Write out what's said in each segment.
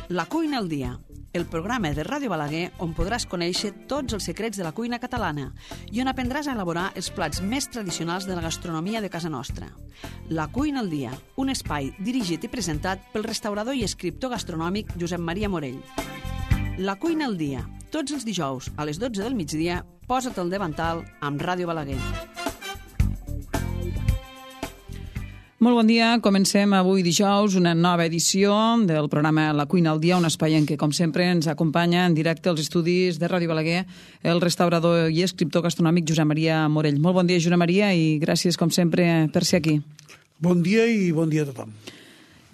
La cuina al dia, el programa de Ràdio Balaguer on podràs conèixer tots els secrets de la cuina catalana i on aprendràs a elaborar els plats més tradicionals de la gastronomia de casa nostra. La cuina al dia, un espai dirigit i presentat pel restaurador i escriptor gastronòmic Josep Maria Morell. La cuina al dia, tots els dijous a les 12 del migdia, posa't al davantal amb Ràdio Balaguer. Molt bon dia, comencem avui dijous una nova edició del programa La cuina al dia, un espai en què, com sempre, ens acompanya en directe als estudis de Ràdio Balaguer el restaurador i escriptor gastronòmic Josep Maria Morell. Molt bon dia, Josep Maria, i gràcies, com sempre, per ser aquí. Bon dia i bon dia a tothom.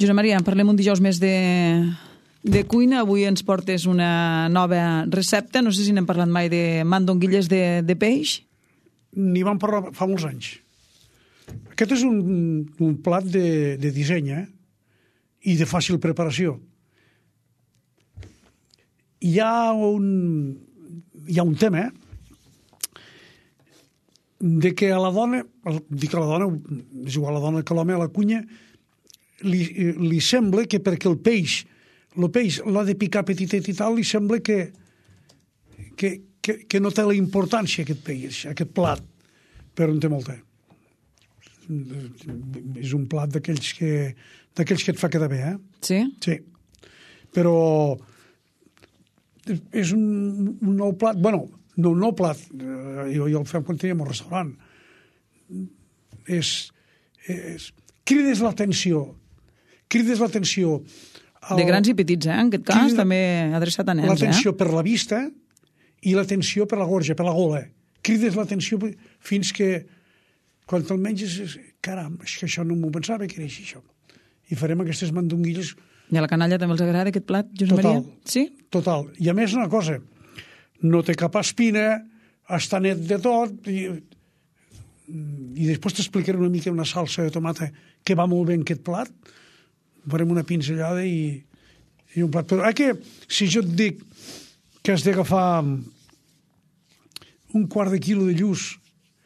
Josep Maria, parlem un dijous més de cuina. Avui ens portes una nova recepta. No sé si n'hem parlat mai de mandonguilles de peix. N'hi vam parlar fa molts anys. Aquest és un plat de disseny i de fàcil preparació. Hi ha un tema de que a la dona, dic a la dona, és igual a la dona que a l'home, a la cuina, li sembla que perquè el peix l'ha de picar petitet i tal, li sembla que no té la importància aquest peix, aquest plat, però en té molta. És un plat d'aquells que et fa quedar bé, Sí? Sí. Però és un nou plat, bueno, no un nou plat, jo el fem quan teníem un restaurant. Crides l'atenció. De grans i petits, en aquest cas, també adreçat a nens. L'atenció per la vista i l'atenció per la gorja, per la gola. Crides l'atenció fins que quan te'l menges, caram, és que això no m'ho pensava que era així, això. I farem aquestes mandonguilles. I a la canalla també els agrada aquest plat, Josep Maria? Sí? Total. I a més una cosa, no té cap espina, està net de tot, i després t'explicaré una mica una salsa de tomata que va molt bé en aquest plat. Farem una pinzellada i un plat. Però que si jo et dic que has d'agafar un quart de quilo de lluç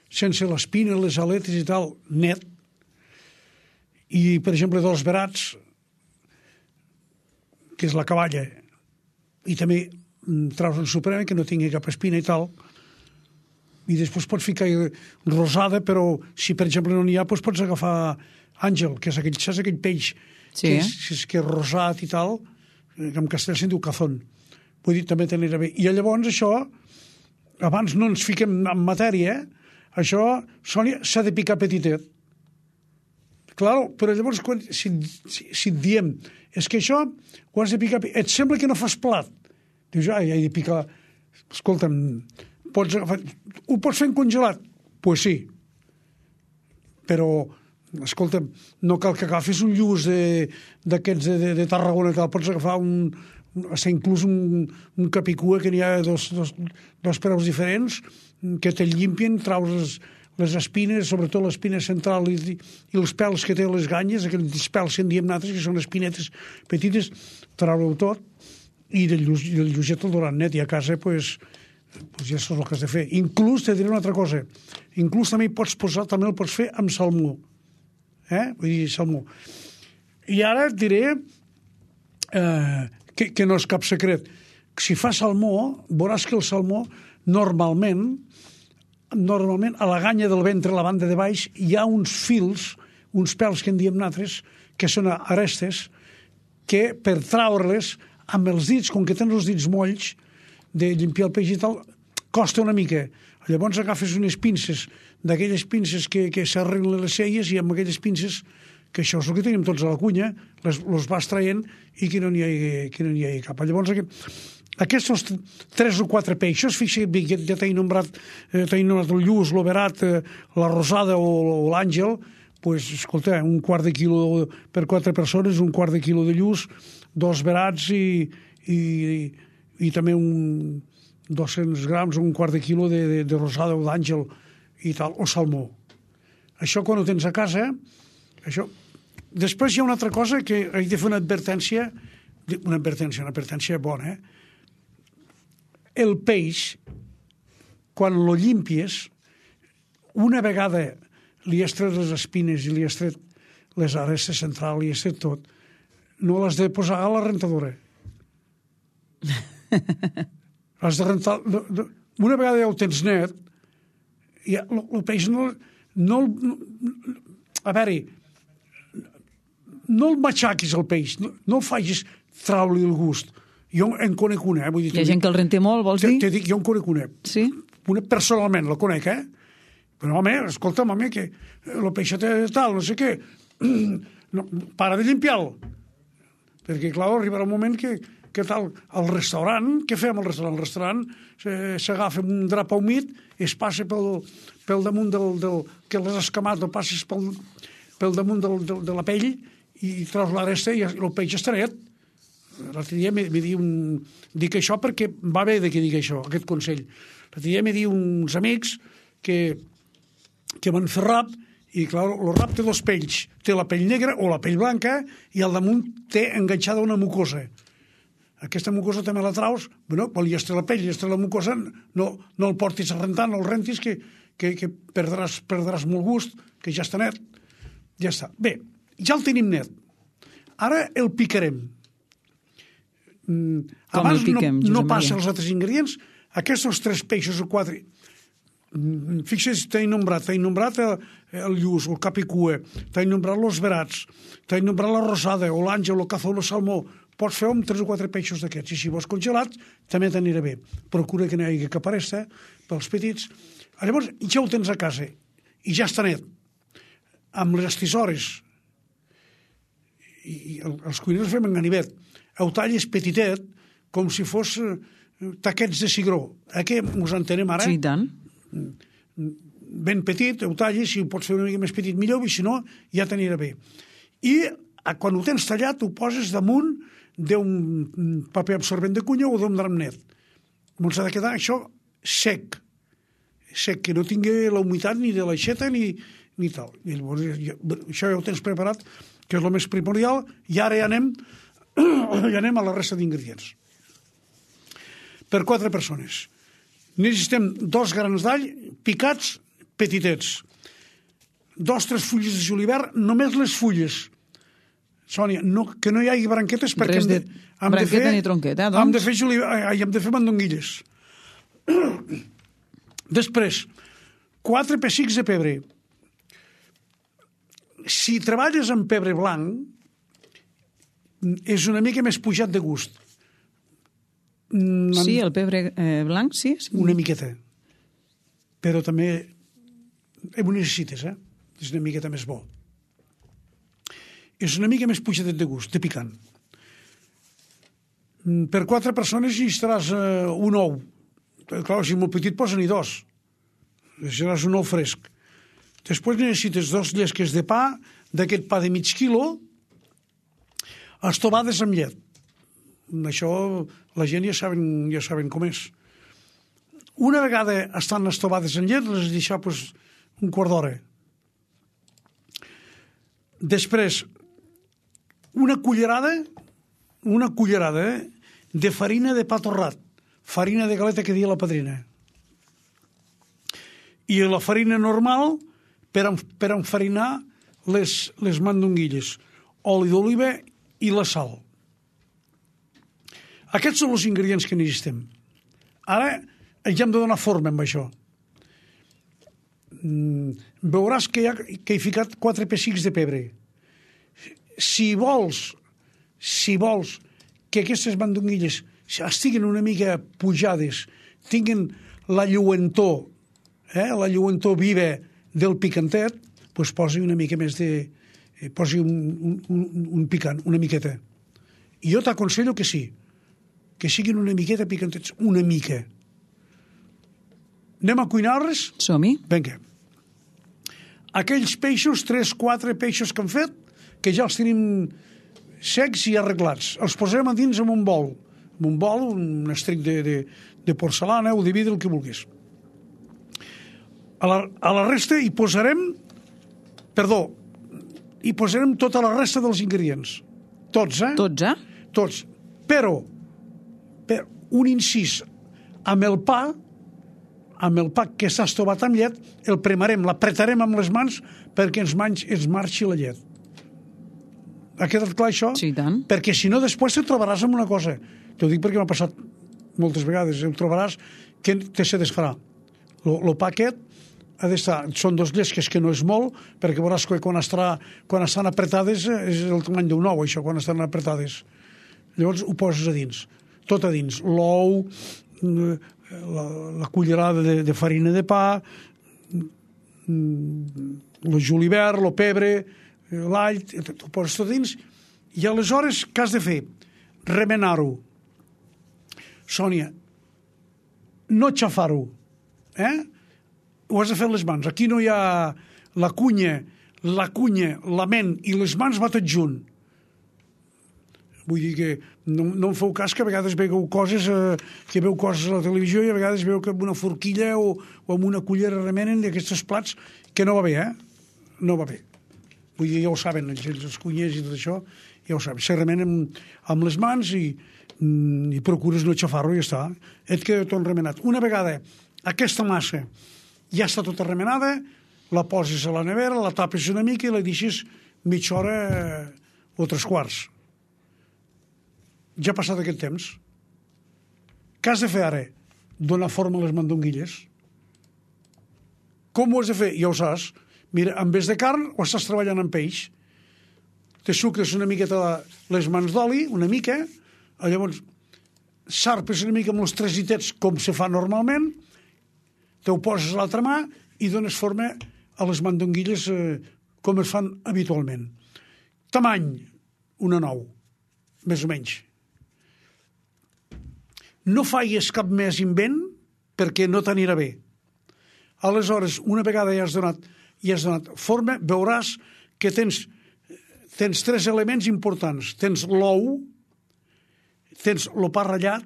sense l'espina, les aletes i tal, net, i, per exemple, dos verats, que és la cavalla, i també traus en suprema, que no tingui cap espina i tal, i després pots ficar rosada, però si, per exemple, no n'hi ha, doncs pots agafar àngel, que és aquell peix sí, que és rosat i tal, que en castellà se'n diu cazón. Vull dir, també t'anirà bé. I llavors això, abans no ens fiquem en matèria, això, Sònia, s'ha de picar petitet. Clar, però llavors, si et diem, és que això ho has de picar, et sembla que no fas plat. Dius, he de picar. Escolta'm, ho pots fer en congelat? Doncs sí. Però, escolta'm, no cal que agafis un lluç d'aquests de Tarragona, que pots agafar inclús un capicua, que n'hi ha dos preus diferents, que te'l llimpien, traus les espines, sobretot l'espina central i els pèls que té les ganyes, aquells pèls que en diem nosaltres, que són espinetes petites, trau-ho tot, i del lluçet el durant net, i a casa, doncs ja saps el que has de fer. Inclús, te diré una altra cosa, inclús també el pots fer amb salmó. Vull dir, salmó. I ara et diré que no és cap secret. Si fa salmó, veuràs que el salmó normalment a la ganya del ventre, a la banda de baix, hi ha uns fils, uns pèls que en diem nosaltres, que són arestes, que per traure-les amb els dits, com que tens els dits molls, de limpiar el peix i tal, costa una mica. Llavors agafes unes pinces, d'aquelles pinces que s'arreglen les celles, i amb aquelles pinces, que això és el que tenim tots a la cuina, les vas traient i que no n'hi hagi cap. Llavors aquests 3 o 4 peixos, fixa't bé, ja t'he nombrat el lluç, l'overat, la rosada o l'àngel, doncs, escolta, un quart de quilo per 4 persones, un quart de quilo de lluç, 2 verats i també 200 grams, un quart de quilo de rosada o d'àngel i tal, o salmó. Això quan ho tens a casa, això. Després hi ha una altra cosa que he de fer una advertència bona, El peix, quan lo llimpies, una vegada li has tret les espines i li has tret les arestes centrals, li has tret tot, no l'has de posar a la rentadora. Has de rentar... Una vegada ja ho tens net, el peix no... A veure, no el matxaquis, el peix, no el facis traure-li el gust. Jo en conec una, vull dir... Hi ha gent que el rente molt, vols dir? Te dic, jo en conec una. Sí? Una personalment, la conec, Però, home, escolta'm, home, que el peixet tal, no sé què, no, para de limpiar-lo. Perquè, clar, arribarà un moment que tal, al restaurant, què fem al restaurant? Al restaurant s'agafa un drap humit, es passa pel damunt que l'has escamat, o passes pel damunt de la pell i treus la resta i el peix està net. L'altre dia dic això perquè va bé que digui això, aquest consell. L'altre dia m'he dit uns amics que van fer rap i, clar, el rap té dos pells. Té la pell negra o la pell blanca i al damunt té enganxada una mucosa. Aquesta mucosa també la traus, bueno, quan ja està la pell, ja està la mucosa, no el portis a rentar, no el rentis, que perdràs molt gust, que ja està net. Ja està. Bé, ja el tenim net. Ara el picarem. Abans no passa els altres ingredients. Aquests 3 peixos o 4... Fixa't, t'he nombrat el lluç, el capicua, t'he nombrat els verats, t'he nombrat la rosada, o l'àngel, el cazó, el salmó. Pots fer amb 3 o 4 peixos d'aquests. I si vols congelats, també t'anirà bé. Procura que no hi hagi cap aresta pels petits. Llavors, ja ho tens a casa i ja està net. Amb les tisores, i els cuiners fem en ganivet, ho talles petitet, com si fos taquets de cigró. Què us entenem ara? Sí, tant. Ben petit, ho tallis, si ho pots fer una mica més petit millor, i si no, ja t'anirà bé. I quan ho tens tallat, ho poses damunt d'un paper absorbent de cunya o d'un drap net. Ens ha de quedar això sec, que no tingui la humitat ni de l'aixeta ni tal. I llavors, això ja ho tens preparat, que és el més primordial, i ara ja anem a la resta d'ingredients. Per 4 persones. Necessitem 2 grans d'all picats petitets, 2-3 fulles de julivert, només les fulles. Sònia, que no hi hagi branquetes perquè res de branqueta ni tronqueta, doncs. Hem de fer mandonguilles. Després, 4 pessics de pebre. Si treballes amb pebre blanc, és una mica més pujat de gust. Sí, el pebre blanc, sí. Una miqueta. Però també ho necessites, És una miqueta més bo. És una mica més pujadet de gust, de picant. Per 4 persones necessitaràs un ou. Clar, si és molt petit, posa-n'hi 2. Necessitaràs un ou fresc. Després necessites 2 llesques de pa, d'aquest pa de mig quilo, estovades amb llet. Això la gent ja saben com és. Una vegada estan estovades en llet, les deixar un quart d'hora. Després, una cullerada de farina de pa torrat, farina de galeta que deia la padrina. I la farina normal per enfarinar les mandonguilles, oli d'oliva i la sal. Aquests són els ingredients que necessitem. Ara ja hem de donar forma amb això. Veuràs que he ficat 4 pessics de pebre. Si vols que aquestes mandonguilles estiguin una mica pujades, tinguin la lluentor viva del picantet, doncs posi una mica més posi un picant, una miqueta. I jo t'aconsello que sí, que siguin una miqueta picantets, una mica. Anem a cuinar-les? Som-hi. Vinga. Aquells peixos, 3-4 peixos que hem fet, que ja els tenim secs i arreglats. Els posarem a dins en un bol. En un bol, un estric de porcelana o de vidre, el que vulguis. A la resta hi posarem tota la resta dels ingredients. Tots, Tots. Però, per un incís, amb el pa que s'ha estovat amb llet, el premarem, l'apretarem amb les mans perquè ens marxi la llet. Ha quedat clar això? Sí, tant. Perquè si no, després te trobaràs amb una cosa. T'ho dic perquè m'ha passat moltes vegades. Ho trobaràs que te se desfarà. El pa aquest ha d'estar... Són 2 llesques, que no és molt, perquè veuràs que quan estan apretades és el tamany d'un ou, això, quan estan apretades. Llavors ho poses a dins. Tot a dins. L'ou, la cullerada de farina de pa, el julivert, el pebre, l'all, ho poses tot dins, i aleshores què has de fer? Remenar-ho. Sònia, no xafar-ho. Ho has de fer amb les mans. Aquí no hi ha la cunya, la ment i les mans va tot junt. Vull dir que no em feu cas que a vegades veieu coses a la televisió i a vegades veieu que amb una forquilla o amb una cullera remenen d'aquests plats, que no va bé, No va bé. Vull dir, ja ho saben, els cunyers i tot això, ja ho saben. Se remenen amb les mans i procures no xafar-ho i ja està. Et queda tot remenat. Una vegada aquesta massa ja està tota remenada, la poses a la nevera, la tapes una mica i la deixes mitja hora o 3/4. Ja ha passat aquest temps. Què has de fer ara? Donar forma a les mandonguilles. Com ho has de fer? Ja ho saps. Mira, en vez de carn, o estàs treballant amb peix. Te sucres una miqueta les mans d'oli, una mica, llavors sarpes una mica amb els tresitets com se fa normalment, te ho poses a l'altra mà i dones forma a les mandonguilles com es fan habitualment. Tamany, una 9, més o menys. No faigues cap més invent perquè no t'anirà bé. Aleshores, una vegada ja has donat forma, veuràs que tens 3 elements importants. Tens l'ou, tens el pa ratllat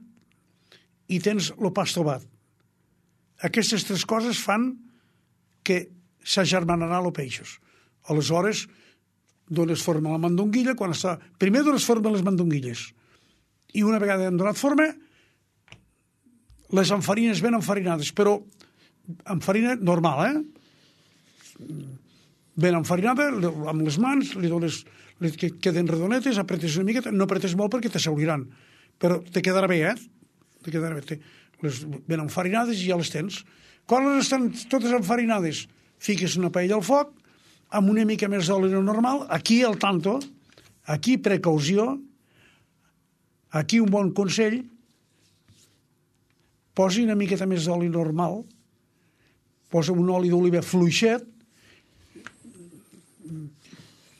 i tens el pa estovat. Aquestes 3 coses fan que s'agermanaran els peixos. Aleshores, dones forma a la mandonguilla. Primer dones forma a les mandonguilles. I una vegada han donat forma, les enfarines ben enfarinades, però amb farina normal, ben enfarinada, amb les mans, li dones que queden redonetes, apretes una miqueta, no apretes molt perquè t'asseuriran, però te quedarà bé, te quedarà bé. Les ben enfarinades i ja les tens. Quan les estan totes enfarinades, fiques una paella al foc, amb una mica més d'oli normal, aquí al tanto, aquí precaució, aquí un bon consell, posi una miqueta més d'oli normal, posa un oli d'oliva fluixet,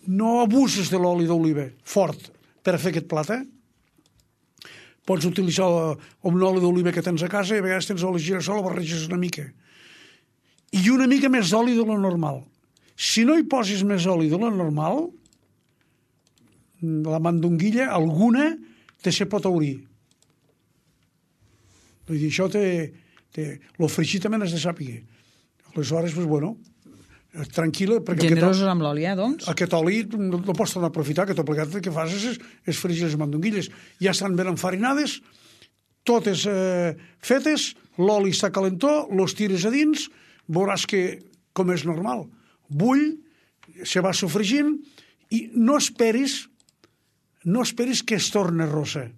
no abuses de l'oli d'oliva fort per a fer aquest plat, Pots utilitzar un oli d'oliva que tens a casa i a vegades tens oli girassol, o barreges una mica. I una mica més d'oli de lo normal. Si no hi posis més oli de lo normal, la mandonguilla, alguna, te se pot aurir. Vull dir, això lo fregit també n'has de sàpiga. Aleshores, doncs, bueno, tranquil·la. Generosos amb l'oli, doncs? Aquest oli no pots tornar a aprofitar, que tot plegat el que fas és fregir les mandonguilles. Ja estan ben enfarinades, totes fetes, l'oli està calentó, los tires a dins, veuràs que, com és normal, bull, se va sofregint, i no esperis que es torni rossa,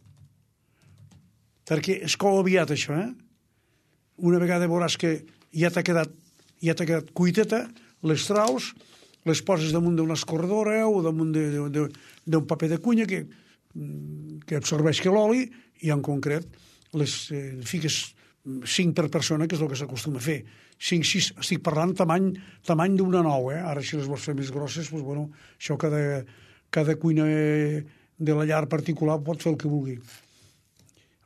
perquè es cou aviat això, Una vegada veuràs que ja t'ha quedat cuiteta, les traus, les poses damunt d'una escorredora o damunt d'un paper de cunya que absorbeix l'oli, i en concret les fiques 5 per persona, que és el que s'acostuma a fer. 5-6, estic parlant tamany d'una 9, Ara, si les vols fer més grosses, doncs, bueno, això cada cuina de la llar particular pot fer el que vulgui.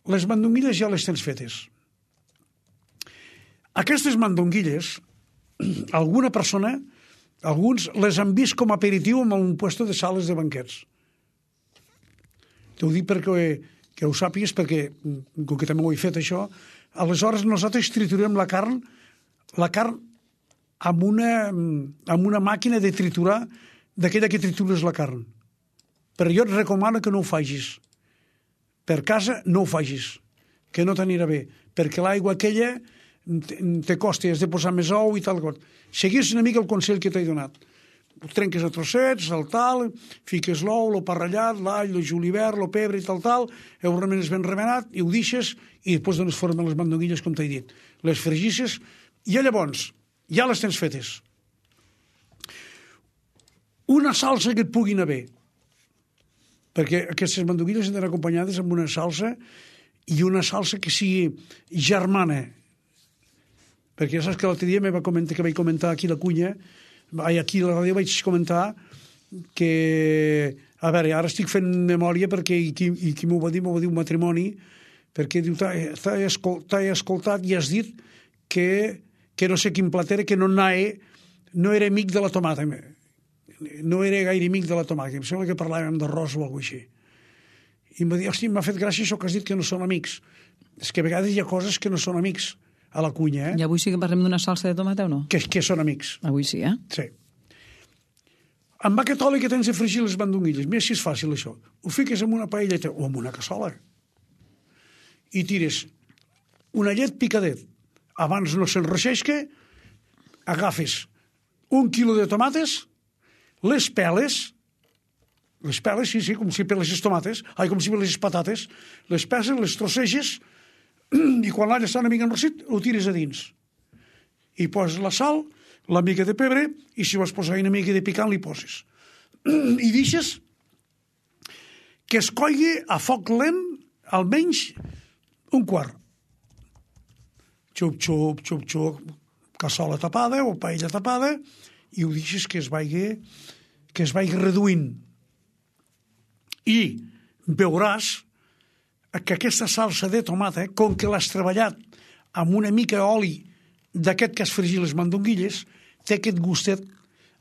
Les mandonguilles ja les tens fetes. Aquestes mandonguilles, alguna persona, alguns les han vist com a aperitiu en un puesto de sales de banquets. T'ho dic perquè ho sàpigues, perquè, com que també ho he fet això, aleshores nosaltres triturem la carn amb una màquina de triturar, d'aquella que tritures la carn. Però jo et recomano que no ho facis. Per casa no ho facis, que no t'anirà bé, perquè l'aigua aquella te costa, has de posar més ou i tal. Seguís una mica el consell que t'he donat. ho trenques a trossets, el tal, fiques l'ou, el parrellat, l'all, el julivert, el pebre i tal, ho remenes ben remenat i ho deixes i després dones forma a les mandonguilles, com t'he dit. Les fregisses i llavors ja les tens fetes. Una salsa que et pugui anar bé, perquè aquestes mandonguilles han d'anar acompanyades amb una salsa i una salsa que sigui germana, perquè ja saps que l'altre dia vaig comentar aquí la cunya, aquí a la ràdio vaig comentar que, a veure, ara estic fent memòria perquè qui m'ho va dir un matrimoni, perquè diu, t'he escoltat i has dit que no sé quin plat era, que no era amic de la tomata, no era gaire amic de la tomata, em sembla que parlàvem d'arròs o alguna cosa així. I em va dir, hòstia, m'ha fet gràcia això que has dit que no són amics. És que a vegades hi ha coses que no són amics a la cunya, I avui sí que parlem d'una salsa de tomata o no? Que són amics. Avui sí, Sí. Amb aquest oli que tens de fregir les mandonguilles, mira si és fàcil això, ho fiques en una paelleta o en una cassola i tires una llet picadet. Abans no s'enreixesca, agafes 1 quilo de tomates, les peles, sí, com si peles les tomates, com si peles les patates, les peses, les trosseges, i quan l'alla està una mica enrossit, ho tires a dins. I poses la sal, la mica de pebre, i si vols posar una mica de picant, li poses. I deixes que es coigui a foc lent almenys un quart. Xup, xup, xup, xup, cassola tapada o paella tapada, i ho deixes que es vagi reduint. I veuràs que aquesta salsa de tomata, com que l'has treballat amb una mica d'oli d'aquest que has fregit les mandonguilles, té aquest gustet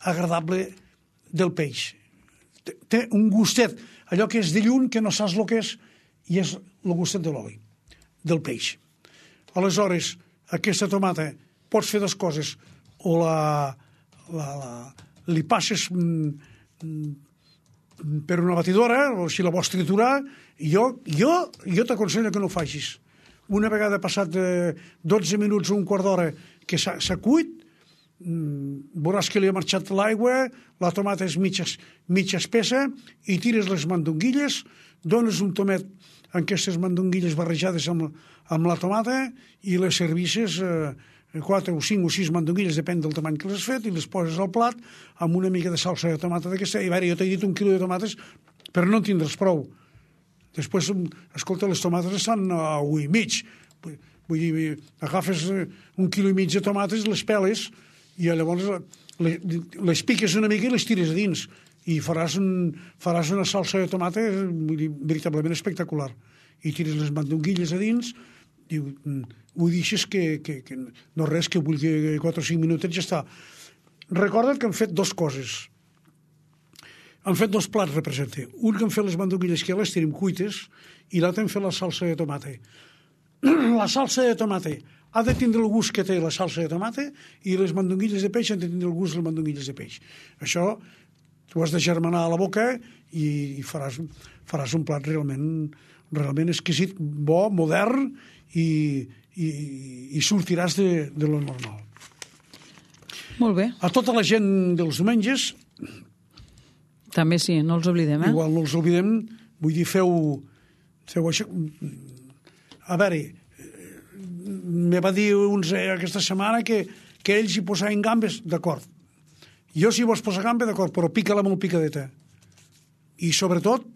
agradable del peix. Té un gustet, allò que és de lluny, que no saps el que és, i és el gustet de l'oli, del peix. Aleshores, aquesta tomata pots fer dues coses, o li passes per una batidora, o si la vols triturar, jo t'aconsello que no ho facis. Una vegada passat 12 minuts o un quart d'hora que s'ha cuit, veuràs que li ha marxat l'aigua, la tomata és mitja espessa, i tires les mandonguilles, dones un tomet amb aquestes mandonguilles barrejades amb la tomata i les servisses 4 o 5 o 6 mandonguilles, depèn del tamany que les has fet, i les poses al plat amb una mica de salsa de tomata d'aquesta. I a veure, jo t'he dit 1 quilo de tomates, però no en tindràs prou. Després, escolta, les tomates estan a 1,5. Vull dir, agafes 1,5 quilo de tomates, les peles, i llavors les piques una mica i les tires a dins. I faràs una salsa de tomata, vull dir, veritablement espectacular. I tires les mandonguilles a dins, i ho deixes que no res, que vulgui 4 o 5 minutets, ja està. Recorda't que han fet 2 coses. Han fet 2 plats, representa. Un que han fet les mandonguilles, que ja les tenim cuites, i l'altre han fet la salsa de tomata. La salsa de tomata ha de tindre el gust que té la salsa de tomata, i les mandonguilles de peix han de tindre el gust de les mandonguilles de peix. Això t'ho has de germanar a la boca i faràs un plat realment exquisit, bo, modern, i sortiràs de lo normal. Molt bé. A tota la gent dels diumenges, també sí, no els oblidem, igual no els oblidem, vull dir, feu això. A veure, me va dir uns aquesta setmana que ells hi posaven gambes, d'acord. Jo si vols posar gamba, d'acord, però pica-la molt picadeta. I sobretot,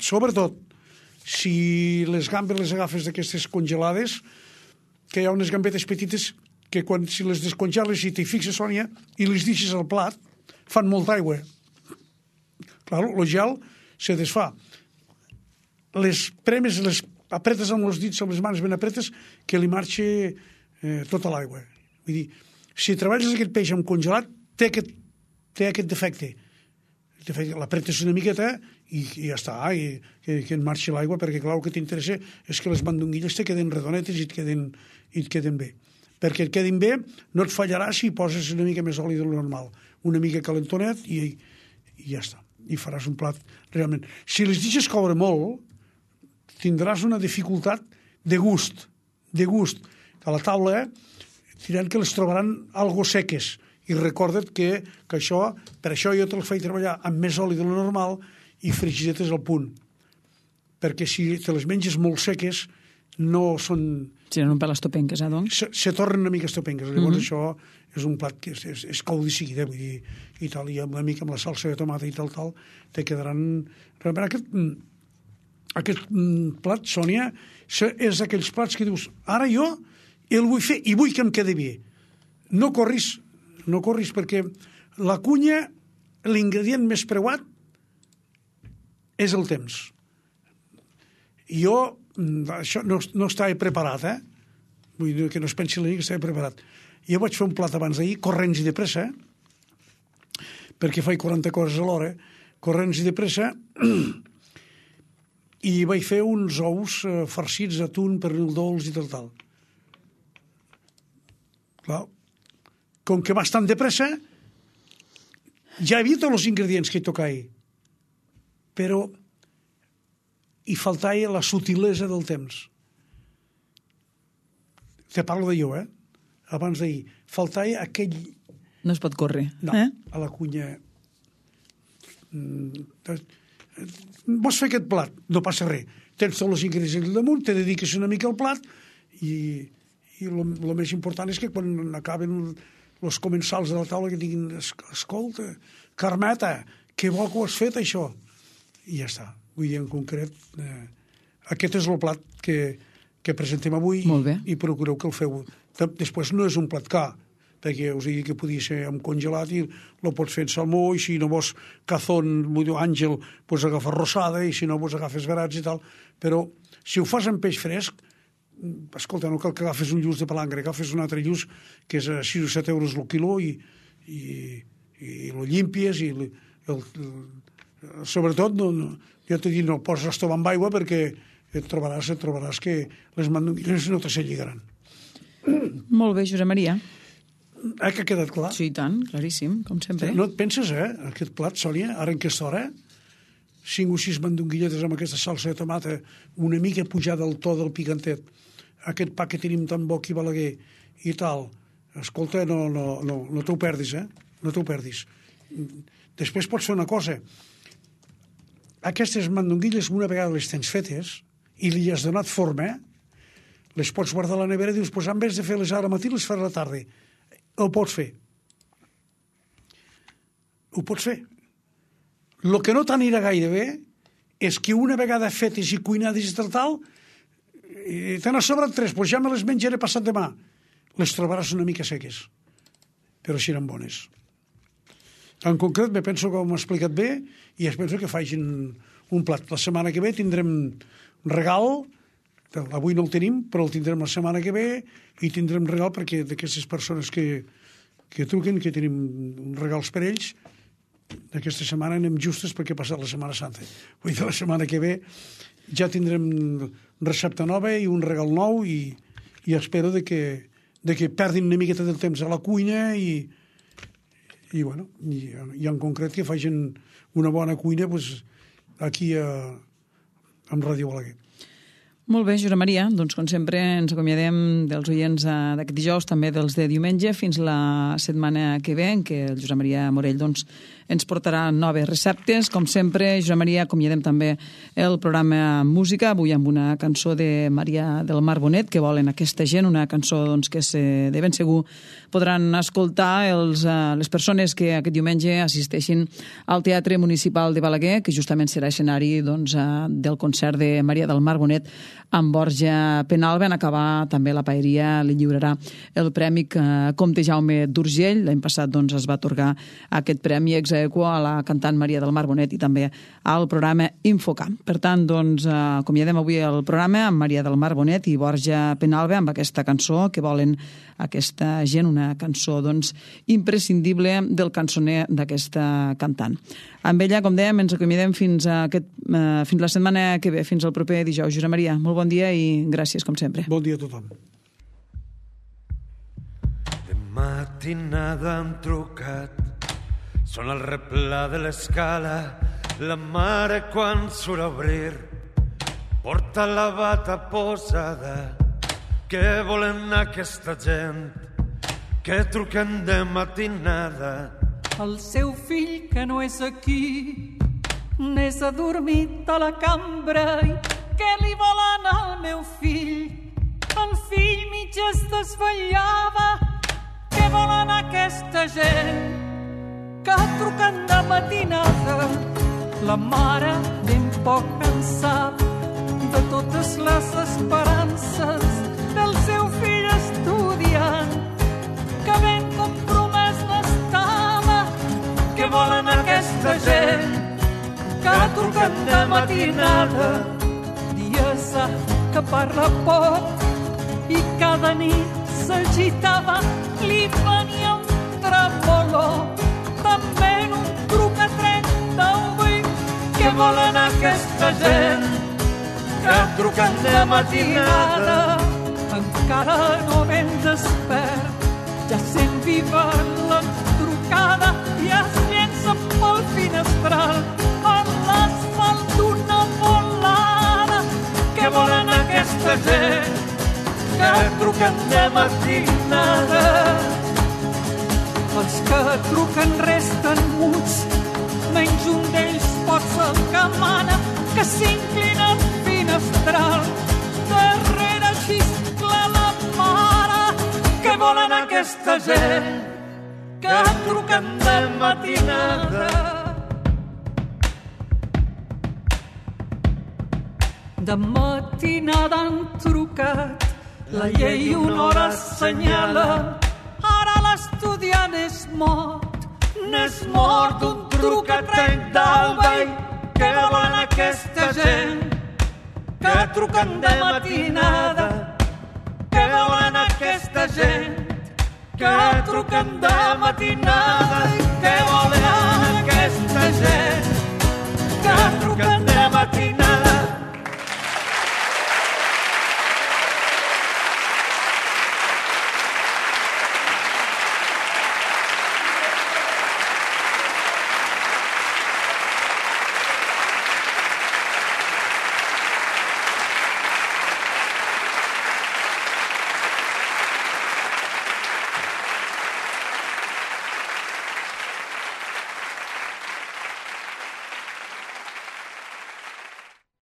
si les gambes les agafes d'aquestes congelades, que hi ha unes gambetes petites que si les descongeles i t'hi fixes, Sònia, i les deixes al plat, fan molta aigua. Clar, el gel se desfà. Les premes, les apretes amb els dits, amb les mans ben apretes, que li marxa tota l'aigua. Vull dir, si treballes aquest peix amb congelat, té aquest defecte. L'apretes una miqueta i ja està, i que en marxi l'aigua, perquè clar, el que t'interessa és que les mandonguilles te queden redonetes i et queden bé. Perquè et quedin bé, no et fallarà si poses una mica més oli del normal, una mica calentonet i ja està. I faràs un plat realment. Si les deixes coure molt, tindràs una dificultat de gust. A la taula diran que les trobaran algo seques, I recorda't que això, per això jo te'l faig treballar amb més oli de lo normal i frigidetes al punt. Perquè si te les menges molt seques, no són... Si no per les topenques, doncs? Se tornen una mica estopenques. Llavors això és un plat que és cau de seguida, vull dir, i tal, i amb una mica amb la salsa de tomata i tal, te quedaran... Realment aquest plat, Sònia, és d'aquells plats que dius, ara jo el vull fer i vull que em quedi bé. No corris perquè la cunya, l'ingredient més preuat és el temps. Jo això no estava preparat, vull dir que no es pensi la nit que estava preparat. Jo vaig fer un plat abans d'ahir, corrents i de pressa, perquè faig 40 coses a l'hora, corrents i de pressa, i vaig fer uns ous farcits d'atún, pernil dolç i tal. Clar, com que vas tan de pressa, ja havia tots els ingredients que hi tocava, però hi faltava la sutilesa del temps. Te parlo de jo, abans d'ahir. Faltava aquell... No es pot córrer. No, a la cunya... Vols fer aquest plat? No passa res. Tens tots els ingredients al damunt, te dediques una mica al plat i el més important és que quan acaben els comensals de la taula que diguin escolta, Carmeta, que bo que ho has fet, això. I ja està. Vull dir, en concret, aquest és el plat que presentem avui i procureu que el feu. Després no és un plat car, perquè us he dit que podia ser amb congelat i el pots fer en salmó, i si no vols cazón, àngel, pots agafar rosada, i si no vols agafes verats i tal. Però si ho fas amb peix fresc, escolta, no cal que agafes un lluç de palangre, agafes un altre lluç que és a 6 o 7 euros el quiló i lo llimpies i sobretot jo t'he dit no el poses estovant amb aigua perquè et trobaràs que les mandonguilles no te se lligaran. Molt bé, Josep Maria. Que ha quedat clar? Sí, tant, claríssim, com sempre. No et penses, aquest plat, Sònia, ara en aquesta hora, 5 o 6 mandonguilletes amb aquesta salsa de tomata, una mica pujada al to del picantet, aquest pa que tenim tan bo aquí a Balaguer i tal, escolta, no t'ho perdis, no t'ho perdis. Després pots fer una cosa. Aquestes mandonguilles, una vegada les tens fetes i li has donat forma, les pots guardar a la nevera i dius, pues en vez de fer-les ara matí, les faré a la tarda. Ho pots fer. Ho pots fer. El que no t'anirà gaire bé és que una vegada fetes i cuinades i tal, te n'ha sobrat 3, doncs ja me les menjaré passat demà. Les trobaràs una mica seques, però si eren bones. En concret, me penso que ho hem explicat bé i es penso que facin un plat. La setmana que ve tindrem un regal, avui no el tenim, però el tindrem la setmana que ve i tindrem regal perquè d'aquestes persones que truquen, que tenim regals per ells, d'aquesta setmana anem justes perquè ha passat la Setmana Santa. Vull dir, la setmana que ve ja tindrem recepta nova i un regal nou i espero de que perdin una miqueta del temps a la cuina i en concret que facin una bona cuina aquí amb Ràdio Balaguer. Molt bé, Josep Maria. Doncs, com sempre, ens acomiadem dels oients d'aquest dijous, també dels de diumenge, fins la setmana que ve, en què el Josep Maria Morell ens portarà noves receptes. Com sempre, Josep Maria, acomiadem també el programa Música, avui amb una cançó de Maria del Mar Bonet, que volen aquesta gent, una cançó que de ben segur podran escoltar les persones que aquest diumenge assisteixin al Teatre Municipal de Balaguer, que justament serà escenari del concert de Maria del Mar Bonet amb Borja Penalba. En acabar també la paeria li lliurarà el premi Comte Jaume d'Urgell. L'any passat es va atorgar aquest premi ex aequo a la cantant Maria del Mar Bonet i també al programa Infocamp. Per tant, acomiadem avui el programa amb Maria del Mar Bonet i Borja Penalba amb aquesta cançó que volen aquesta gent, una cançó imprescindible del cançoner d'aquesta cantant. Amb ella, com dèiem, ens acomiadem fins la setmana que ve, fins al proper dijous. Josep Maria, molt bon dia i gràcies, com sempre. Bon dia a tothom. De matinada han trucat, són al replà de l'escala, la mare quan surt a obrir porta la bata posada. Què volen aquesta gent? que truquen de matinada. El seu fill que no és aquí, n'és adormit a la cambra i què li volen al meu fill? El fill mig es desvetllava, què volen aquesta gent? Que truquen de matinada, la mare ben poc cansada de totes les esperances del seu fill estudiant, que ben compromès n'estava. Què volen aquesta gent? Que truquen de matinada, dies que parla poc i cada nit s'agitava, li venia un tremolor. També un truc a 38. Què volen aquesta gent? Que truquen de matinada, encara no ben despert, ja sent viva la trucada i es llença pel finestral a l'asfalt d'una volada. Què volen aquesta gent? Que truquen de matinada. Els que truquen resten muts, menys un d'ells pot ser el que mana, que s'inclina al finestral, darrere xiscla la mare. Què volen aquesta gent? Que truquen de matinada. De matinada han trucat, la llei una hora assenyala. Ara l'estudiant és mort, n'és mort un truc a 30 d'alba. Què volen aquesta gent? Que truquen de matinada. Què volen aquesta gent? Que truquen de matinada. Què volen aquesta gent? Que truquen de matinada.